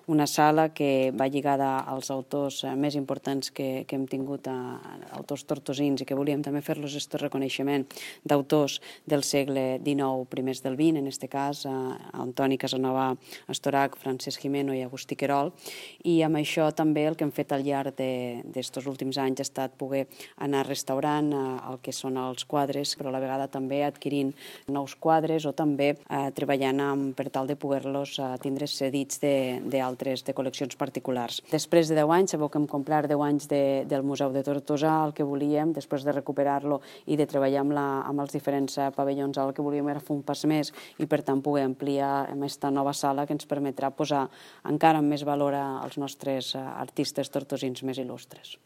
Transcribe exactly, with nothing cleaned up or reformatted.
una sala que va lligada als autors més importants que, que hem tingut, a, a autors tortosins, i que volíem també fer-los aquest reconeixement d'autors del segle dinou, primers del vint, en aquest cas, a Antoni Casanova Estorach, Francesc Gimeno i Agustí Querol, i amb això també el que hem fet al llarg d'aquests últims anys ha estat poder anar restaurant el que són els quadres, però a la vegada també adquirint nous quadres o també eh, treballant amb, per tal de poder-los eh, tindre cedits d'altres, de, de col·leccions particulars. Després de deu anys, sabeu que hem complert deu anys de, del Museu de Tortosa, el que volíem, després de recuperar-lo i de treballar amb, la, amb els diferents pavellons, el que volíem era fer un pas més i per tant poder ampliar amb aquesta nova sala que ens permetrà posar encara amb més valor als nostres artistes tortosins més il·lustres.